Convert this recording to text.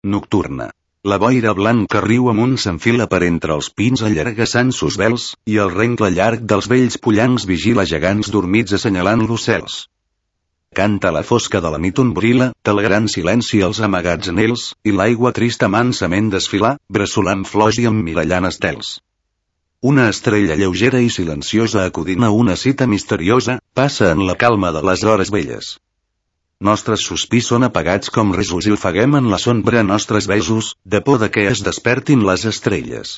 Nocturna. La boira blanca riu amunt s'enfila per entre els pins allargassant sos vels, i el rengle llarg dels vells pollancs vigila gegants dormits assenyalant l'ocels. Canta la fosca de la nit ombrila, telegrant silenci als amagats anhels, i l'aigua trista mansament desfilar, bressolant flors i emmirallant estels. Una estrella lleugera i silenciosa acudint a una cita misteriosa, passa en la calma de les hores velles. Nostres sospirs són apagats com risos i ofeguem en la sombra nostres besos, de por de que es despertin les estrelles.